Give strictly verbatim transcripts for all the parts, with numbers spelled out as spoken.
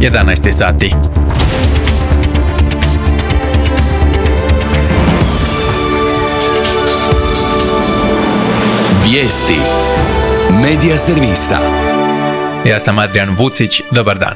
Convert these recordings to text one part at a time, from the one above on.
jedanaest sati. Vijesti Medija servisa. Ja sam Adrian Vucić, dobar dan.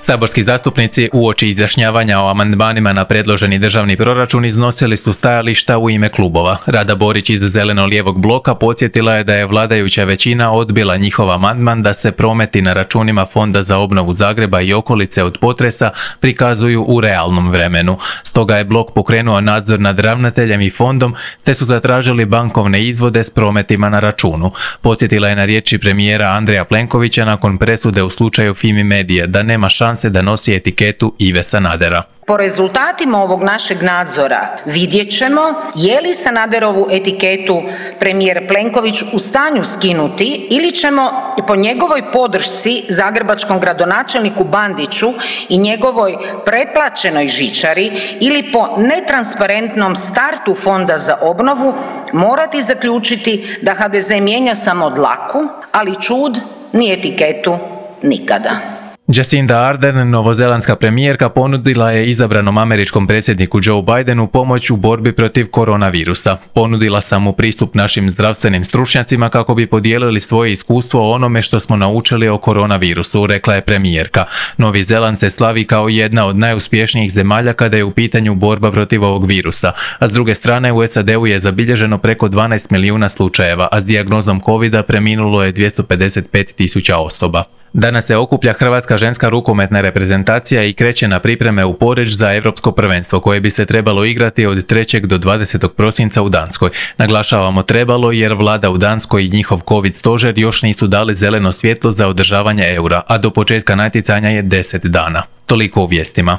Saborski zastupnici uoči izjašnjavanja o amandmanima na predloženi državni proračun iznosili su stajališta u ime klubova. Rada Borić iz zeleno-lijevog bloka podsjetila je da je vladajuća većina odbila njihov amandman da se prometi na računima Fonda za obnovu Zagreba i okolice od potresa prikazuju u realnom vremenu. Stoga je blok pokrenuo nadzor nad ravnateljem i fondom te su zatražili bankovne izvode s prometima na računu. Podsjetila je na riječi premijera Andreja Plenkovića nakon presude u slučaju Fimi Medije da nema šanse da nosi etiketu Ive Sanadera. Po rezultatima ovog našeg nadzora vidjet ćemo je li Sanaderovu etiketu premijer Plenković u stanju skinuti ili ćemo po njegovoj podršci zagrebačkom gradonačelniku Bandiću i njegovoj preplaćenoj žičari ili po netransparentnom startu Fonda za obnovu morati zaključiti da ha de ze mijenja samo dlaku, ali čud ni etiketu nikada. Jacinda Ardern, novozelandska premijerka, ponudila je izabranom američkom predsjedniku Joe Bidenu pomoć u borbi protiv koronavirusa. Ponudila sam mu pristup našim zdravstvenim stručnjacima kako bi podijelili svoje iskustvo o onome što smo naučili o koronavirusu, rekla je premijerka. Novi Zeland se slavi kao jedna od najuspješnijih zemalja kada je u pitanju borba protiv ovog virusa, a s druge strane u es a de-u je zabilježeno preko dvanaest milijuna slučajeva, a s dijagnozom covida preminulo je dvjesto pedeset pet tisuća osoba. Danas se okuplja hrvatska ženska rukometna reprezentacija i kreće na pripreme u Poreč za europsko prvenstvo koje bi se trebalo igrati od trećeg do dvadesetog prosinca u Danskoj. Naglašavamo trebalo jer vlada u Danskoj i njihov covid stožer još nisu dali zeleno svjetlo za održavanje eura, a do početka natjecanja je deset dana. Toliko u vijestima.